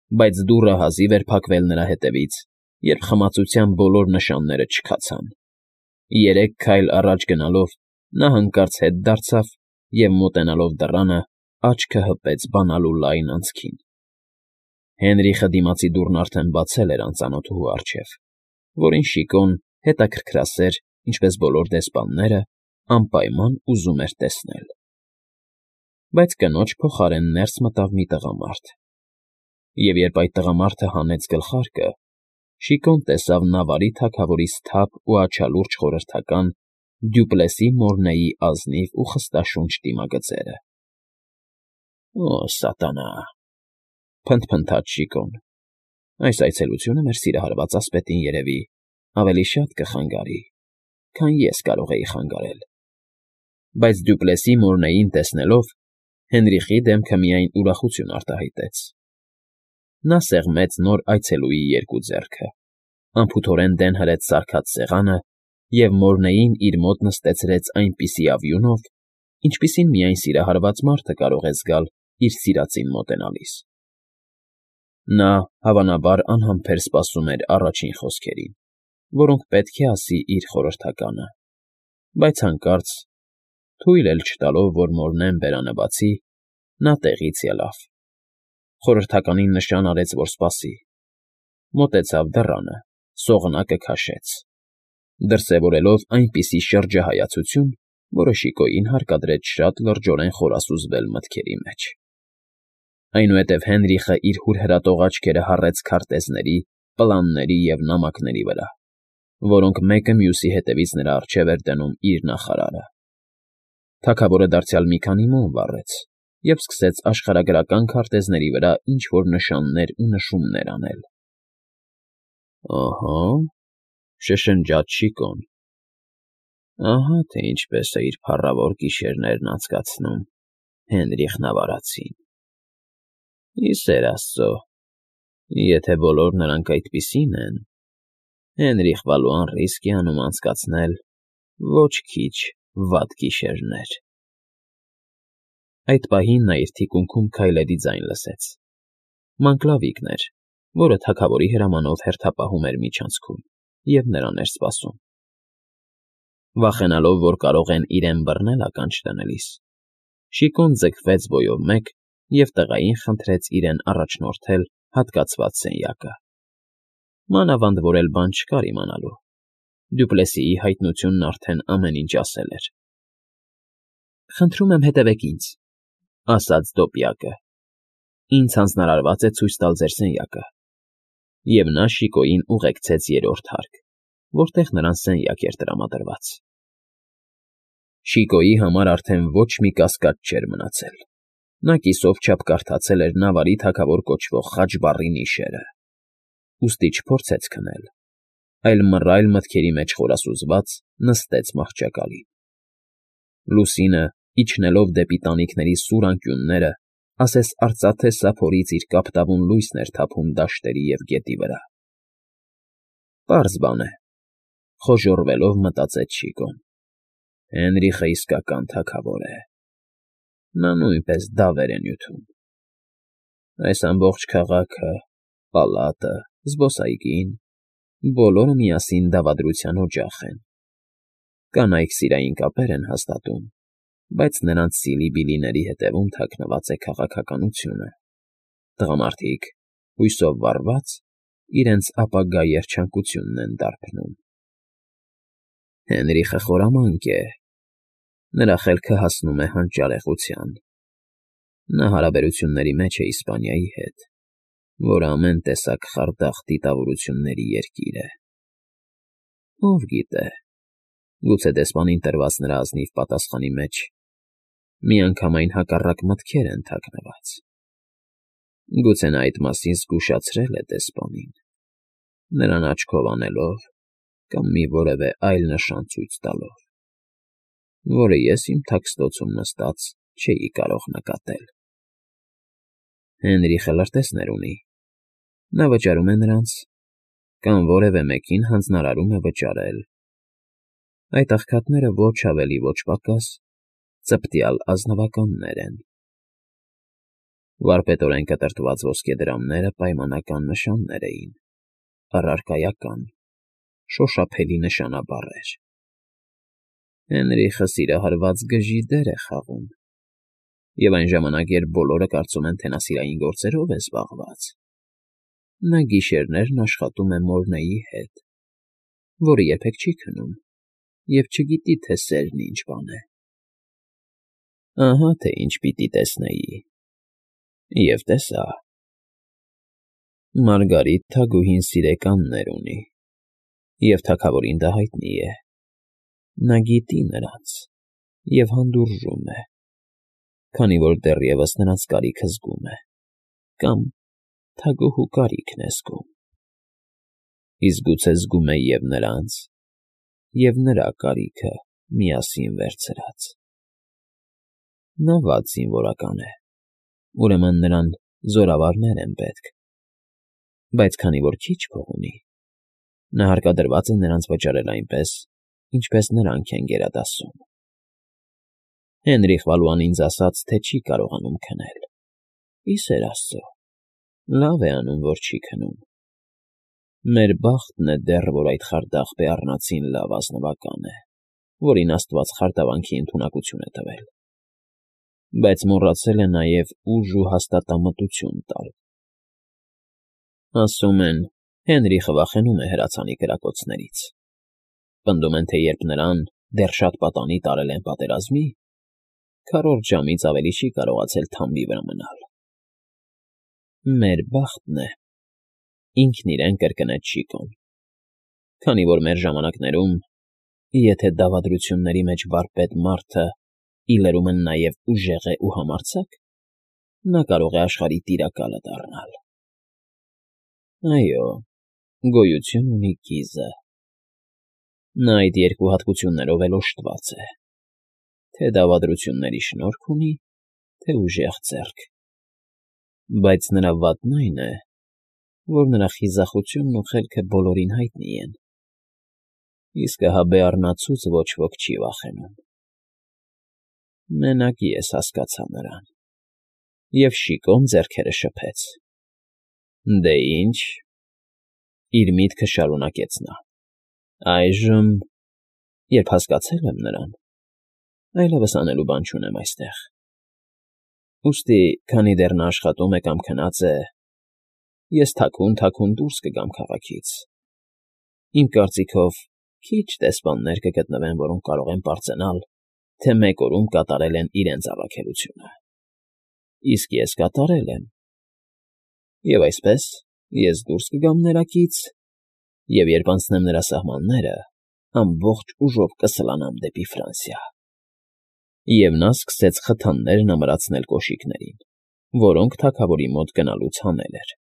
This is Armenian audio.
բայց դուռը հազիվ էր փակվել նրա հետևից, երբ խմացության բոլոր նշանները չքացան. 3 քայլ առաջ գնալով նա հանկարծ հետ դարձավ և, մոտենալով դռանը, աչքը հպեց բանալու լայն անցքին. Հենրիխը դիմացի դուռն արդեն բացել էր անծանոթուհու առջև, որին Շիկոն, հետաքրքրասեր, ինչպես բոլոր դեսպանները, անպայման ուզում էր տեսնել։ Բայց կնոջ փոխարեն ներս մտավ մի տղամարդ, և երբ այդ տղամարդը հանեց գլխարկը, Շիկոն տեսավ Նավարի թագավորի սթափ ու աչալուրջ խորհրդական Դյուպլեսի Մորնեի ազնիվ ու խստաշունչ դիմագծերը։ «Օ, սատանա,֊ փնթփնթաց Շիկոն,֊ այս այցելությունը մեր սիրահարված ասպետին, երևի, ավելի շատ կխանգարի, քան ես կարող էի խանգարել»։ Բայց Դյուպլեսի Մորնեին տեսնելով, Հենրիխի դեմքը միայն ուրախություն արտահայտեց։ Նա սեղմեց նոր այցելուի երկու ձեռքը, անփութորեն դեն հրեց սարքած սեղանը և Մորնեին իր մոտ նստեցրեց այնպիսի ավյունով, ինչպիսին միայն սիրահարված մարդը կարող է զգալ իր սիրածին մոտենալիս։ Նա, հավանաբար, անհամբեր սպասում էր առաջին խոսքերին, որոնք պետք է ասի իր խորհրդականը, բայց հանկարծ, թույլ էլ չտալով, որ Մորնեն բերանը բացի, նա տեղից ելավ, խորհրդականին նշան արեց, որ սպասի, մոտեցավ դռանը, սողնակը քաշեց, դրսևորելով այնպիսի շրջահայացություն, որը Շիկոյին հարկադրեց շատ լրջորեն խորասուզվել մտքերի մեջ։ Այնուհետև Հենրիխը իր հուրհրատող աչքերը հառեց քարտեզների, պլանների և նամակների վրա, որոնք մեկը մյուսի հետևից նրա առջև էր դնում իր նախարարը։ Թագավորը դարձյալ մի քանի մոմ վառեց և սկսեց աշխարհագրական քարտեզների վրա ինչ֊որ նշաններ ու նշումներ անել։ «Ըհը,֊ շշնջաց Շիկոն,֊ ահա թե ինչպես է իր փառավոր գիշերներն անցկացնում Հենրիխ Նավարացին։ Ի սեր աստծո, եթե բոլոր նրանք այդպիսին են, Հենրիխ Վալուան ռիսկ է անում անցկացնել ոչ քիչ վատ գիշերներ»։ Այդ պահին նա իր թիկունքում քայլերի ձայն լսեց։ Մանկլավիկն էր, որը թագավորի հրամանով հերթապահում էր միջանցքում և նրան էր սպասում։ Վախենալով, որ կարող են իրեն բռնել ականջ դնելիս, Շիկոն ձգվեց բոյով մեկ և տղային խնդրեց իրեն առաջնորդել հատկացված սենյակը։ Մանավանդ որ էլ բան չկար իմանալու, Դյուպլեսիի հայտնությունն արդեն ամեն ինչ ասել էր։ «Խնդրում եմ, հետևեք ինձ,֊ ասաց դոպիակը,֊ ինձ հանձնարարված է ցույց տալ ձեր սենյակը»։ Եվ նա Շիկոյին ուղեկցեց երրորդ հարկ, որտեղ նրան սենյակ էր տրամադրված։ Շիկոյի համար արդեն ոչ մի կասկած չէր մնացել. նա կիսով չափ կարդացել էր Նավարի թագավոր կոչվող խաչբառի նիշերը, ուստի չփորձեց քնել, այլ մռայլ մտքերի մեջ խորասուզված նստեց մահճակալին։ Լուսինը, իջնելով դեպի տանիքների սուր անկյունները, ասես արծաթե սափորից իր կապտավուն լույսն էր թափում դաշտերի և գետի վրա։ Պարզ բան է, խոժոռվելով մտածեց Շիկոն, Հենրիխը իսկական թագավոր է։ Նա նույնպես դավեր է նյութում։ Այս ամբողջ քաղաքը, պալատը, զբոսայգին, բոլորը միասին դավադրության օջախ են։ Կանայք սիրային կապեր են հաստատում, բայց նրանց սիլի֊բիլիների հետևում թաքնված է քաղաքականությունը։ Տղամարդիկ, հույսով վառված, իրենց ապագա երջանկությունն են դարբնում։ Հենրիխը խորամանկ է, նրա խելքը հասնում է հանճարեղության։ Նա հարաբերությունների մեջ է Իսպանիայի հետ, որը ամեն տեսակ խարդախ դիտավորությունների երկիր է։ Ով գիտե, գուցե դեսպանին տրված նրա ազնիվ պատասխանի մեջ միանգամայն հակառակ մտքեր են թաքնված։ Գուցե նա այդ մասին զգուշացրել է դեսպանին, նրան աչքով անելով կամ մի որևէ այլ նշան ցույց տալով, որը ես իմ թաքստոցում նստած չէի կարող նկատել։ Հենրիխը լրտեսներ ունի, նա վճարում է նրանց կամ որևէ մեկին հանձնարարում է վճարել։ Այդ աղքատները ոչ ավելի, ոչ պակաս ծպտյալ ազնվականներ են։ Վարպետորեն կտրտված ոսկեդրամները պայմանական նշաններ էին, առարկայական, շոշափելի նշանաբառեր։ Հենրիխը սիրահարված գժի դեր է խաղում, և այն ժամանակ, երբ բոլորը կարծում են, թե նա սիրային գործերով է զբաղված, նա գիշերներն աշխատում է Մորնեի հետ, որը երբեք չի քնում և չգիտի, թե սերն ինչ բան է։ Ահա թե ինչ պիտի տեսնեի, և տեսա. Մարգարիտ թագուհին սիրեկաններ ունի, և թագավորին դա հայտնի է։ Նա գիտի նրանց և հանդուրժում է, քանի որ դեռևս նրանց կարիքը զգում է, կամ թագուհու կարիքն է զգում։ Իսկ գուցե զգում է և նրանց, և նրա կարիքը միասին վերցրած։ Նա վատ զինվորական է, ուրեմն նրան զորավարներ են պետք, բայց քանի որ քիչ փող ունի, նա հարկադրված է նրանց վճարել այնպես, ինչպես նրանք են գերադասում։ Հենրիխ Վալուան ինձ ասաց, թե չի կարողանում քնել։ Ի սեր Աստծո, լավ է անում, որ չի քնում։ Մեր բախտն է դեռ, որ այդ խարդախ բեառնացին լավ ազնվական է, որին Աստված խարդավանքի ընդունակություն է տվել, բայց մոռացել է նաև ուժ ու հաստատամտություն տալ։ Ասում են, Հենրիխը վախենում է հրացանի կրակոցներից։ Պնդում են, թե երբ նրան դեռ շատ պատանի տարել են պատերազմի, քառորդ ժամից ավելի չի կարողացել թամբի վրա մնալ։ Մեր բախտն է, ինքն իրեն կրկնեց Շիկոն, քանի որ մեր ժամանակներում, եթե դավադրությունների մեջ վարպետ մարդը ի լրումն նաև ուժեղ է ու համարձակ, նա կարող է աշխարհի տիրակալը դառնալ։ Այո, գոյություն ունի կիզը։ Նա այդ երկու հատկություններով էլ օժտված է, թե դավադրությունների շնորհք ունի, թե ուժեղ ձեռք, բայց նրա վատն այն է, որ նրա խիզախությունն ու խելքը բոլորին հայտնի են, իսկ ահա բեառնացուց ոչ ոք չի վախենում։ Մենակ ես հասկացա նրան, և Շիկոն ձեռքերը շփեց։ Դե ինչ, իր միտքը շարունակեց նա, այժմ, երբ հասկացել եմ նրան, այլևս անելու բան չունեմ այստեղ։ Ուստի, քանի դեռ նա աշխատում է կամ քնած է, ես թաքուն դուրս կգամ քաղաքից։ Իմ կարծիքով, քիչ դեսպաններ կգտնվեն, որոնք կարող են պարծենալ, թե մեկ օրում կատարել են իրենց առաքելությունը։ Իսկ ես կատարել եմ։ Եվ այսպես, ես դուրս կգամ ներակից, և երբ անցնեմ նրա սահմանները, ամբողջ ուժով կսլանամ դեպի Ֆրանսիա։ Եվ նա սկսեց խթաններն ամրացնել կոշիկներին, որոնք թագավորի մոտ գնալուց հանել էր։